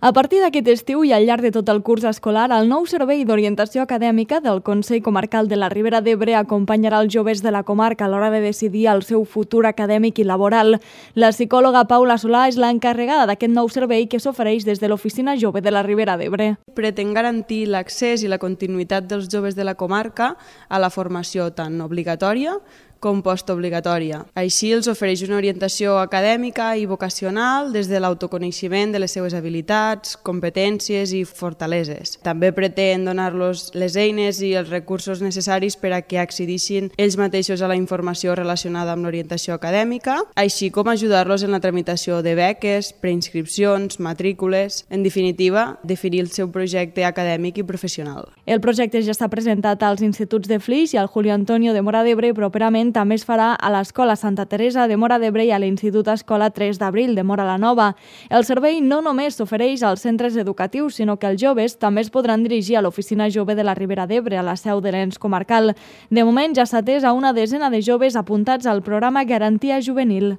A partir d'aquest estiu i al llarg de tot el curs escolar, el nou Servei d'Orientació Acadèmica del Consell Comarcal de la Ribera d'Ebre acompanyarà els joves de la comarca a l'hora de decidir el seu futur acadèmic i laboral. La psicòloga Paula Solà és l'encarregada d'aquest nou servei que s'ofereix des de l'Oficina Jove de la Ribera d'Ebre. Pretén garantir l'accés i la continuïtat dels joves de la comarca a la formació tant obligatòria com postobligatòria. Així els ofereix una orientació acadèmica i vocacional des de l'autoconeixement de les seves habilitats, competències i fortaleses. També pretén donar-los les eines i els recursos necessaris per a que accedissin ells mateixos a la informació relacionada amb l'orientació acadèmica, així com ajudar-los en la tramitació de beques, preinscripcions, matrícules, en definitiva, definir el seu projecte acadèmic i professional. El projecte ja està presentat als instituts de Flix i al Julio Antonio de Móra d'Ebre i properament també es farà a l'Escola Santa Teresa de Móra d'Ebre i a l'Institut Escola 3 d'Abril de Móra la Nova. El servei no només s'ofereix als centres educatius, sinó que els joves també es podran dirigir a l'Oficina Jove de la Ribera d'Ebre, a la seu de l'ens comarcal. De moment ja s'ha atès a una desena de joves apuntats al programa Garantia Juvenil.